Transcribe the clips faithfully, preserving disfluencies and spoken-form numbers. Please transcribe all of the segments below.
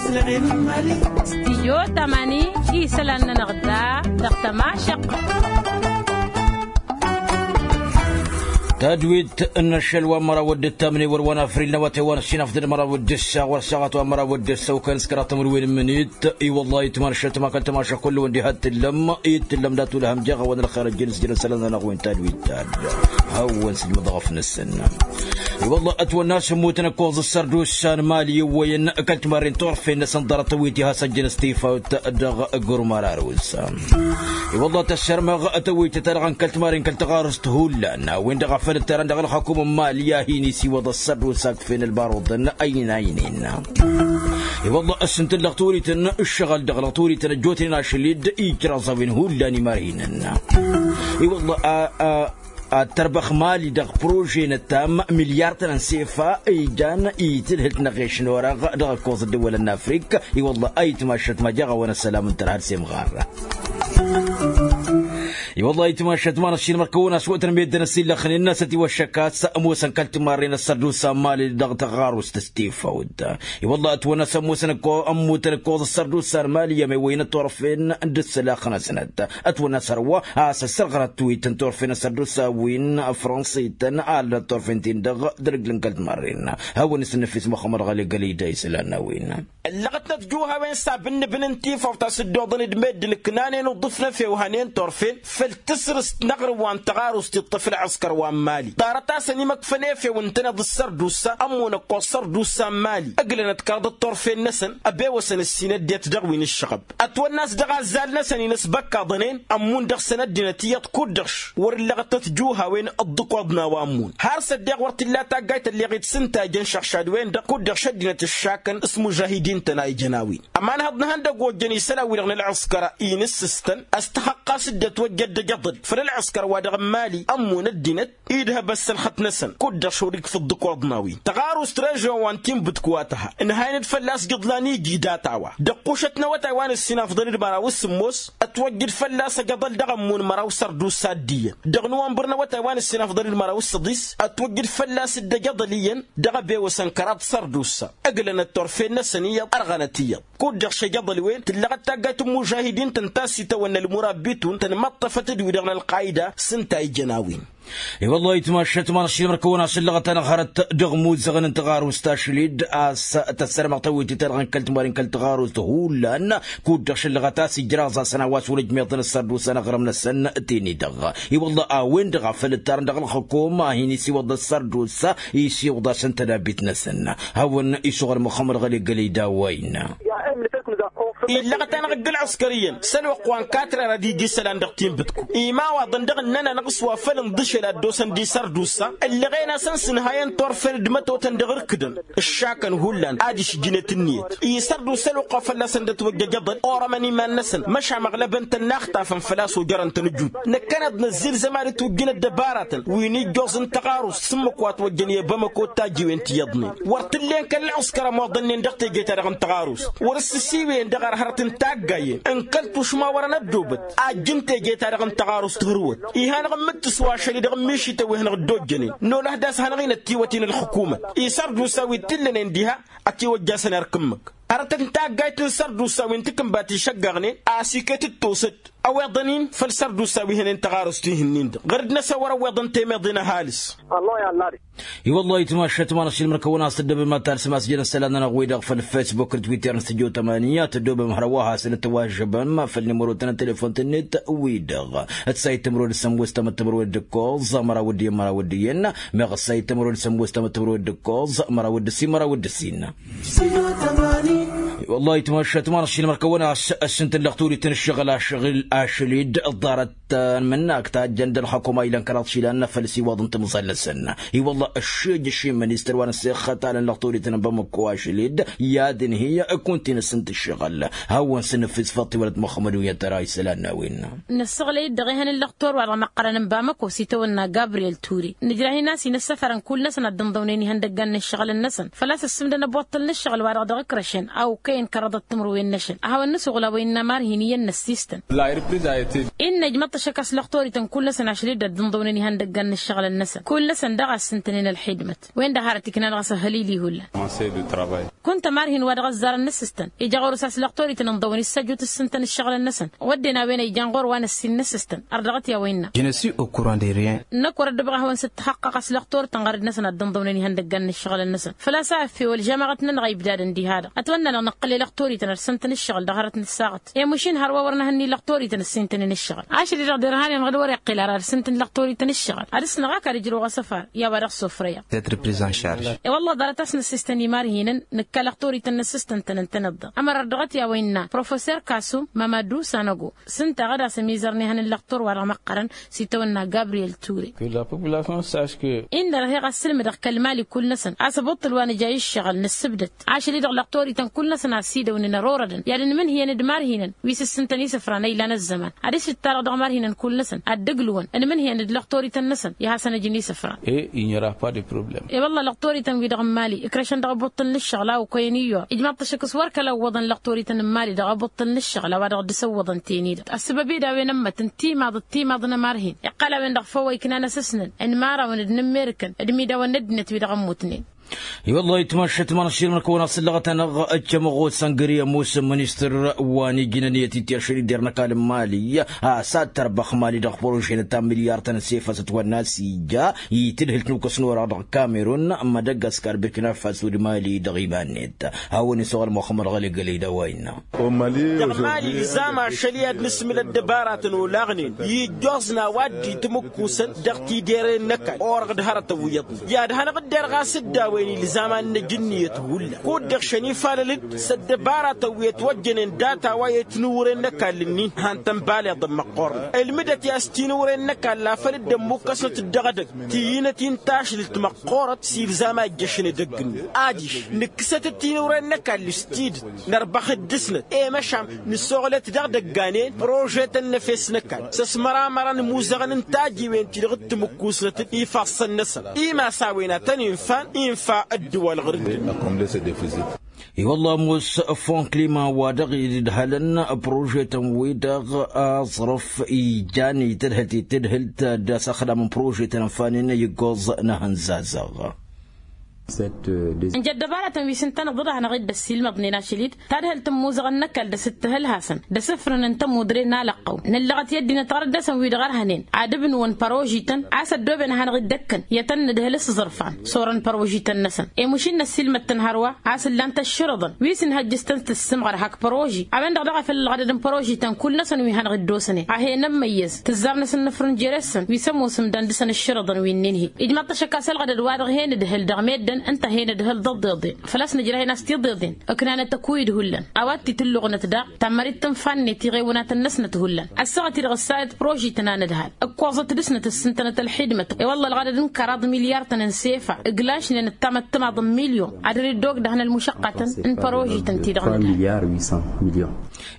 Stijyo tamani isălan-nănăɣ da dăɣ-tămašăqq. Tadwit n-ašăl wa n-măraw d-ǝttamne wăr wa n-afril n-awătay wa n-ăssinafdăd măraw d-ǝssa wăr saɣăt wa n-măraw d-ǝssa okăn s-kăraḍ timǝrwen n-imǝnit. I-wălla itmănšăt ma kăl-tămašăqq kull-wăn diha t-tǝllăm i-tǝllăm dat-ulhăm jeɣ a-wa n-ălxer ăjjăn s-jărăn isălan-nănăɣ wi n-tadwit ta-dd. Hawăn-sǝjmǝḍăɣ ăfnăsăn. I-wălla ătwănna a-s ămmutăn ǝkkoẓ s-sărdusa n-mali iwwăyăn kăl-timarren turfen-năsăn ḍarăt tăwwit iha s-ăjjăn s-tifawt dăɣ-gurmar arus. I-wălla tăssărmăɣ tăwwit ta-dăɣ n-kăl-timarren kăl-taɣarust hullan a-wen-dăɣ a făl ǝttarăn dăɣ-ălxăkum n-mali a hin-isiwăḍ ăssărdusa ǝkfen ălbaruḍăn ăynaynen. I-wălla ăssintǝl dăɣ-turităn ǝššăɣăl dăɣ-lăɣ turităn ăjjootnen ašăl-dd ijraẓ a-wen hullan imarhinăn. I-wălla a a ad-tărbăx mali dăɣ-prože n-ăttam milyar-tăn n-sefa ijan itǝlhǝlt n-aɣeš n-orăɣ dăɣ-ǝkkoẓ ăddăwălăn n-afrik. I-wălla a itmašăt ma jeɣ a-wa n-ăssălam n-tărha d-semɣar. I-wălla a itmašăt ma n-ăššinmăr kăwăn-aswătăn meddǝn ăsillăxnen n-asăt iwăššăk a-s ămoosăn kăl-timarren ăssărdusa n-mali dăɣ-taɣarust s-tifawt. I-wălla ătwănna a-s ămmutăn ǝkkoẓ ăssărdusa n-mali i-amewăyăn ătturăfen d-ǝssǝlax-năsnăt. Ătwănna a-s hărwa a-s ăssărɣănăt tǝwit n-turfen ăssărdusa wi n-afrănsităn a ăllănăt turfen-tin-dăɣ d-ărǝjlăn kăl-timarren. Hawăn-isǝnnǝfis muxămmăd ɣali gălăyda isălan n-a-wen. Ǝllăɣătnăt juhawen s-abǝnnǝbǝn n-tifawt a-s dd-oḍăn d-meddǝn ǝknanen uḍǝf n-efew hănen turfen făll-tǝsrǝst n-aɣrǝm wa n-taɣarust iṭṭăf ălɣǝskăr wa n-mali ḍarăt-asăn imăkfăn efew ǝntăneḍ d-sărdusa ămmun ăkkoẓ sărdusa n-mali ǝglănăt kăraḍăt turfen-năsăn ăbewăsăn ǝssin ăddinăt dăɣ-wi n-ǝššăɣăb. Ătwănna a-s dăɣ-azzal-năsăn-in ăsbăkkaḍănen ămmun dăɣ-săn ăddinăt iyyăḍ kud-dăɣ š-wăr-ǝllăɣăt tăt-juhawen ǝḍḍǝkoḍna wa ămmun har s-ăddeɣ wăr t-illa taggayt ălleɣ-dd s-ǝntajăn šăɣšad-wen-dăɣ kud-dăɣ š-ăddinăt ǝššakăn s-imužahidin-tăn a ijăn a-wen. Ămanhăḍ n-ihăndăgg ojjăn isălan-wi-dăɣ n-ălɣǝskăr a inǝssǝstăn ăstăxăqqa s-dd-ătwăjja dd-ejăḍăl făll-ălɣǝskăr wa dăɣ-n mali ămmun ăddinăt idhăb ăssălxăt-năsăn kud-dăɣ šorikf ǝḍḍǝkoḍna-win tăɣarust režyon wa n-tinbǝtku wa tǝha ǝnhayăn-dd fălla-s jǝḍlan iji data-wa dăɣ-kušăt n-awătay wa n-ǝssin afḍăn d-măraw s-sǝmmos. Ătwăjj-dd fălla-s ejăḍăl dăɣ-ămmun măraw sărdusa d-iyyăn dăɣ-nowănbăr n-awătay wa n-ǝssin afḍăn d-măraw s-săḍis ătwăjj-dd fălla-s dd-ejăḍăl iyyăn dăɣ-ebewăsăn kăraḍ sărdusa ǝglănăt turfen-năsăn iyyăḍ ărɣănăt iyyăḍ kud-dăɣ šejăḍăl-wen tǝllăɣăt taggayt n-imužahidin-tăn ta s-itawănna ălmurabbitun tăn-imăṭṭăfăt d-wi-dăɣ n-ălqayda s-ǝnta a ijăn a-wen. I-wăllah itmašăt ma n-ašilmăr kăwăn-asǝllăɣăt-anăɣ hărăt dăɣ-imuzăɣăn n-taɣarust ašăl-dd a-s tăssărmăɣ tawit-i-ta-dăɣ n-kăl-timarin kăl-taɣarust hullan kud-dăɣ šăllăɣăt a-s ijraẓ-asăn a-wa s-wăr-ǝjmeḍăn ăssărdusa n-aɣrǝm-năsăn. Tini-dăɣ i-wăllah a-wen-dăɣ a făl ǝttarăn dăɣ-ălxǝkum a hin-isiwăḍ ăssărdusa isiwǝḍ-asăn tădabit-năsăn. Hawăn-isuɣăl muxămmăd ɣăli gălăy d-a-wa innă. Illăɣăt-anăɣ ǝgg-ǝlɣǝskăr iyyăn s-ălwăqq wa n-katrăr ad-ija isălan dăɣ-tinbǝtku imawaḍăn dăɣ-ǝnnăn-anăɣ s-wa făl ǝnḍǝšel a dd-osăn d-isărdusa ǝllăɣen-asăn s-ǝnhayăn turfen d-mătotăn dăɣ-irkǝdăn ǝššakăn hullan ad-išjǝnet ǝnniyăt isărdusa ălwăqq wa fălla-săn dd-ătwăjjăjăḍăn orămăn iman-năsăn măšan măɣlăbăn-tăn n-axtafăn făl-a-s ojărăn-tăn ǝjut năkkăneḍ năzzilzăm ad-dd-tujjǝn ăddăbaratăn wi n-ijjoẓ n-taɣarust s-ǝmmǝk wa ătwăjjăn i-bamăko d-tajjiwen ti iyyăḍnen wăr t-ǝllen kăl-ălɣǝskăr ămoḍănnen dăɣ-teje-ta-dăɣ n-taɣarust wăr-ǝssǝsiwǝyăn dăɣ-ărhărăt n-taggayen n-kăl-tušma wărăn ăddoobăt ajjǝn teje-ta-dăɣ n-taɣarust ɣur-wăt. Iha-năɣ ǝmmǝttǝs wa ašăl-i dăɣ-ǝmmišităn wi hanăɣ-dd-ojjănen nolăh d-a-s hanăɣ-inăt tiwăt-in ălxǝkumăt isărdusa wi t-illănen diha ătiwăjjasăn erk ǝmmǝk. Hărătăt n-taggayt n-sărdusa wi n-takǝnbat išăggăɣnen a-s iket d-tosăt ăweḍăn-in făll-sărdusa wi hănen taɣarust-i-hin-in-dăɣ ɣăr-dd-năsăn wăr-ăweḍăn temeḍe n-ăhalǝs. I-wăllah itmašăt ma n-ašilmăr kăwăn-asǝddăbăm ad-talsăm a-s jăn isălan-nănăɣ-wi-dăɣ făll-facebook d-twitter n-stujo tămani ad-tăddobăm hărwa hasăn-dd-tăwažžăbăm făll-nimărotăn n-telefon-tăn-net wi-dăɣ ǝssa ittimărod d-sămmos tamăttămărod d-ǝkkoẓ ămăraw d-iyyăn ămăraw d-iyyăn meɣ ǝssa ittimărod d-sămmos tamăttămărod d-ǝkkoẓ ămăraw d-ǝssin ămăraw d-ǝssin. Wăllah itmašat ma n-ašilmăr kăwăn-as ăssintăllăɣ turităn ǝššăɣǝl ašăl-i-dd ḍarăt n-imǝnnak tajjăn d-ălxukuma ilăn kăraḍ išilan făll-isiwăḍ n-timẓal-năsăn. I-wăllah ăššejăš i-ministăr wa n-ăssexătalăn lăɣ turităn n-bamăko ašăl-i-dd i-ad-inhǝy ǝkun ti n-ǝssǝnt ǝššăɣǝl. Hawăn-săn ǝffǝs făḍ tiwălăt muxămmăd wi n-tăra isălan n-a-wen. Nǝssăɣlăy-dd dăɣ-ehăn n-lăɣ torwar dăɣ-măqqărăn n-bamăko s-itawănna gabriyel ture nǝjrah-in a-s inăssăfăr n-kull-năsăn ad-dd-ǝnḍăwnen ihăndăggan n-ǝššăɣǝlăn-năsăn făl-a-s ǝssǝmdăn ăboṭṭăl n-ǝššăɣǝl-wa-dăɣ dăɣ-ǝkrăšăn a okăyăn kărăḍăt timǝrwen-năšăn a hawăn-nǝsuɣǝl a-wa innă marhin iyyăn n-ăssistăn. Innă ijmăḍ. Šăkk a-s lăxtorităn kull-năsăn ašăl-dd ad-dd-ǝnḍăwnen ihăndăggan n-ǝššăɣǝlăn-năsăn kull-năsăn daɣ a ǝssǝntănen ălxidmăt-wen-dăɣ hărăt ikna dăɣ-s ăhhălil ihullan. Kunta marhin wa dăɣ-ăzzarăn n-asǝstăn ija ɣur-s a-s lăxtorităn ǝnḍăwăn issăjjut ǝssǝntăn ǝššăɣǝlăn-năsăn. Wădden a-wen a ijan ɣur-wa n-ăssin n-asǝstăn ărdăɣăt i-a-wa innă. Je ne suis au courant de rien. Năkk wăr-ăddăbăɣ ad-hawăn-sǝttăxăqqăɣ a-s lăxtorităn ɣărăd-năsăn ad-dd-ǝnḍăwnen ihăndăggan n-ǝššăɣǝlăn-năsăn. Făl-a-s a ăffewăl žămaɣăt-nănăɣ a ibdadăn diha-dăɣ ătwănna-năɣ nǝqqǝl i-lăxtorităn ad-sǝntăn ǝššăɣǝl dăɣ-hărăt n-ǝssaɣăt i-mušin hărwa wăr nǝhǝnni lăxtorităn ǝssintănen ǝššăɣǝl. Ašăl-i-dăɣ derhan-enăɣ d-wăr-iqqǝl ara ad-sǝntăn lăxtorităn ǝššăɣǝl ad-dăɣ-s năɣ akad ǝjrăwăɣ asăfar i-a-wa dăɣ-sofrăyăɣ. D'être pris en charge. I-wălla ḍarăt a-s năssistăn i-marhinăn nǝkka lăxtorităn năssistăn-tăn ǝntăneḍ-dăɣ ămăra ărdăɣăt i-a-wa innă professor kasum mamadu sanăgo s-ǝnta a ɣǝd-as ămizăr n-ehăn n-lăxtor-wa-dăɣ măqqărăn s-itawănna gabriyel ture. Inna-dăɣ he-ɣ ad-sǝlmǝdăɣ kăl-mali kull-năsăn a-s ăbuṭṭǝl wa nǝja i-ǝššăɣǝl nǝssǝbdăt. Ašăl-i-dăɣ lăxtorităn kull-năsăn a ăsidăwnen ărorădăn i-ad-ǝnmǝnhǝyăn d-imarhinăn wi s-ǝssǝntăn isǝfran ăylan ăzzăman ad-dăɣ-s dd-tarăɣ dăɣ-imarhinăn kull-năsăn ad-dd-ǝglǝwăn ǝnmǝnhǝyăn d-lăxtorităn-năsăn i-ad-hasăn-ăjǝn isǝfran. E-wălla lăxtorităn-wi-dăɣ n-mali ǝkrăšăn dăɣ-abuṭṭǝl n-ǝššăɣǝl a okăyăn iyyur ijmaḍ-t ašăk s-wăr kăla ǝwwăḍăn lăxtorităn n-mali dăɣ-abuṭṭǝl n-ǝššăɣǝl a-wa dăɣ-dd-săwwăḍăn tenidăt ăssăbăb-i d-a-wen ămmătăn timaḍăt timaḍ n-ămarhin iqqăl a-wen-dăɣ făw a iknan asǝsnăn n-imărawăn d-inǝmmerǝkăn d-imidawăn n-ăddinăt wi dăɣ-ămmutnen. I-wăllah itmašăt ma n-aššilmăn kăwăn-asǝllăɣăt-anăɣ ăccămăɣos ăngări ămoosăn ministăr wa n-ijnăn i-ătityašăn i-dd-irnăk almali a-s ad-tărbăx mali dăɣ-părožen ta n-milyar-tăn s-efăs ătwănna a-s ija i-tǝdhǝlt n-ukǝs n-orăɣ dăɣ-kamerun, mădăggaskar bǝrkina faso d-mali dăɣ-iman-net. Hawăn-isoɣăl muxămmăd ɣăli gălăy d-a-wa innă. Dăɣ-mali ilzam ašăl i-ad-nǝsmǝl ăddăbaratăn olaɣnen i-ijjoẓ n-a-wa dd-itmǝkkusăn dăɣ-tideren n-ăkall orăɣ d-hărătăn wi iyyăḍnen i-ad-hanăɣ-dd-erɣ a-s dd-a-wen ilzam ad-năj ǝnniyăt hullan kud-dăɣ šăn ifalăl-dd s-ăddăbaratăn wi ătwăjjănen data wa i-tinǝwren n-ăkall-ǝnnin han-tăn baleḍăn măqqoornen ǝlmǝdăt i-a-s tinǝwren n-ăkall afăl dd-ămmukkăsnăt-dd dăɣ-edăgg ti inăt-in tašlǝlt măqqoorăt s-ilzam a ijjăšăn edăgg-ǝnnin adiš nǝkkǝsăt-dd tinǝwren n-ăkall s-tidǝt nărbăx-dd dăɣ-snăt i-măšan nǝssoɣlăt dăɣ-idăgganen prožetăn n-efes n-ăkall s-ăsmăramărăn imuzăɣăn n-tajiwen-ti-dăɣ d-timǝkkusnăt ifassăn-năsăn imas a-wen ad-tăn-infan infa ăddǝwal ɣur-dd. I-wălla ămoos fon klima wa dăɣ-idhălăn prožetăn-wi-dăɣ aẓrǝf ijan itǝdhǝlt itǝdhǝlt d-asăxdam n-prožetăn ănfanen i-ǝggoẓ n-ehăn zazăɣ. Ǝnja ăddăbaratăn wi s-ǝntăneḍ-dd ad-hanăɣ-dd-ăssiilmăḍnen ašăl-dd tadhǝlt n-imuzăɣăn n-ăkall d-asǝttǝhǝlhasăn d-asǝfrǝn n-tămudre n-alăqqăw nǝllăɣăt i-ăddinăt ɣărăt dăɣ-săn wi-dăɣ ărhănen ad-ǝbnǝwăn părožităn a-s ăddooben ad-hanăɣ-dd-ăkkăn i-ad-tăn-nǝdhǝl s-iẓrǝfan s-orăn părožităn-năsăn i-mušin năssiilmăd-tăn hărwa a-s ǝllan-t ăššărǝḍăn wi s-inhăjjǝs-tăn s-tǝssǝmɣăr hak păroži a-wen-dăɣ daɣ a făl ălɣădăd n-părožităn kull-năsăn wi hanăɣ-dd-osănen a hen-ămmăyyăz tǝzzar-năsăn nǝfrǝn jere-săn wi s-ămoosăm dan dăɣ-săn ǝššărǝḍăn wi n-inhi ijmaḍ-t ašăk a-s ălɣădăd wa-dăɣ hen-ǝdhǝl dăɣ-meddǝn ǝnta hen-ǝdhǝl d-ăḍḍeḍen făl-a-s nǝjrăh-in a-s tiḍeḍen ǝknanăt ăkuy-dd hullan a-wa t-tǝlluɣnăt daɣ tammărit tǝnfa-net iɣewǝnatăn-năsnăt hullan ăssaɣăt-i-dăɣ ǝssayăt prožităn a nǝdhal ǝkkoẓăt dăɣ-snăt ǝssǝntănăt ălxidmăt i-wălla ălɣădăd n-kăraḍ milyar-tăn n-sefa ǝglašnen ǝttamăt timaḍ n-milyon ad-dd-ogdăhăn ălmušăqqatăn n-părožităn-ti-dăɣ n-ǝdhal.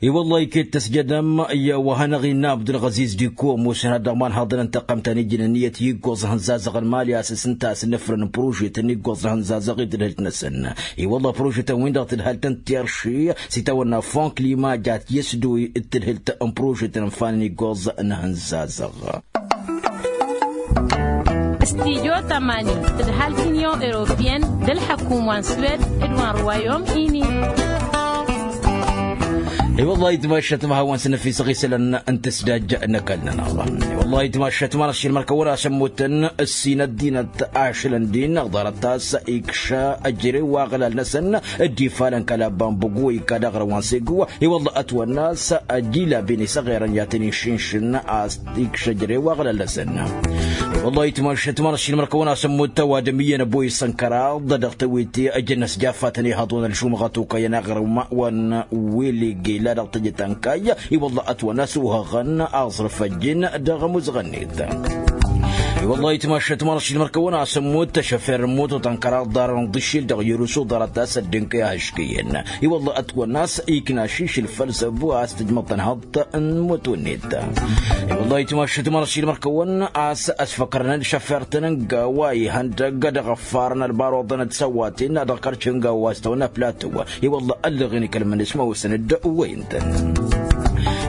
I-wălla iket tăsjădăm i-wa hanăɣ-innă abdulɣăziz diko ămoosăn ad-dăɣ-imanhăḍăn n-taqqămt ta n-ijnăn iyyăt i-iggoẓ n-ihănzazăɣ n-mali a-s s-ǝnta a-s ǝnnǝfrăn n-prožetăn n-iggoẓ n-ihănzazăɣ i-tǝdhǝlt-năsăn. I-wălla prožetăn-win-dăɣ tǝdhăl-tăn tirši s-itawănna fon klima jat i-ăsdăwăy d-tǝdhǝlt n-prožetăn ǝnfanen iggoẓ n-ihănzazăɣ. Studyo tămani tǝdhal t-inyon europiyăn d-ălḥăkum wa n-swed d-wa n-ruwayom ini. I-wălla itmašat ma hawăn-săn ăfisăɣ isălan n-tǝsdaj n-ăkall-nănăɣ. I-wălla itmašat ma n-ašilmăn kăwăn-asămmutăn ǝssin ăddinăt ašălăn din ăɣḍarăt a-s ikša ăjrew aɣlal-năsăn dd-ifalăn kăla bambug wa ikka daɣrăw wa n-segu. I-wălla ătwănna a-s ăjilabin isăɣerăn i-ad-tăn-iššǝnšǝn a-s ikša ăjrew aɣlal-năsăn. I-wălla itmašat ma n-ašilmăn kăwăn-asămmut ăwadǝm iyyăn ăboy s-ănkăraḍ dăɣ-tewǝte ăjăn ăsjaffatăn ihăḍon ălšumɣăt okăyăn aɣrǝm wa n-wele gela dăɣ-tejăt ănkay. I-wălla ătwănna a-s uhăɣăn aẓrǝf ăjjin dăɣ-amuzăɣ-net. I-wălla itmašat ma n-ašilmăn kăwăn-asămmut ăšăfer n-moto tănkăraḍ ḍarăn ḍǝššil dăɣ-irusu ḍarăt a-s ăddinka i-ahǝškăyăn. I-wălla ătwănna a-s ikna šišǝl făll-săbu a-s tǝjmăḍ tănhăḍt n-moto-net. I-wălla itmašat ma n-ašilmăn kăwăn a-s ăsfăkrănăn šăfer-tăn n-gawa ihăndăg dăɣ-ăffarăn ălbaruḍăn d-săwaten dăɣ-kărš n-gawa a-s tăwănna platu. I-wălla ăllăɣen ikălmăn s-ma osăn-dd wăyǝn-tăn.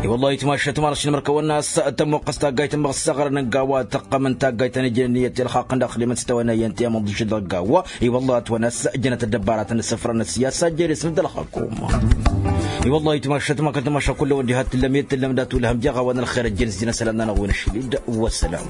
I-wăllah itmašat ma-năɣ šinmăr kăwăn-as tămmuqqăs taggayt n-măɣ s-aɣrăn n-gawa tăqqăm n-taggayt ta n-ijnen iyyăt i-ălxaqq n-daxli măttăwăn iyyăn ti-amăḍ d-išǝddăɣ gawa. I-wăllah ătwăn-as jănăt ăddăbbaratăn d-săfrăn ăssiyasa jere s-mǝddălăxăkum. I-wăllah itmašat ma kăl-tamaša kull-ăwăn diha t-tǝllăm i-t-tǝllăm dat-wǝlhăm jeɣ a-wa n-ălxer ăjjăn s-jăn ăsălan-nănăɣ wi n-ašlid. Wăssălam.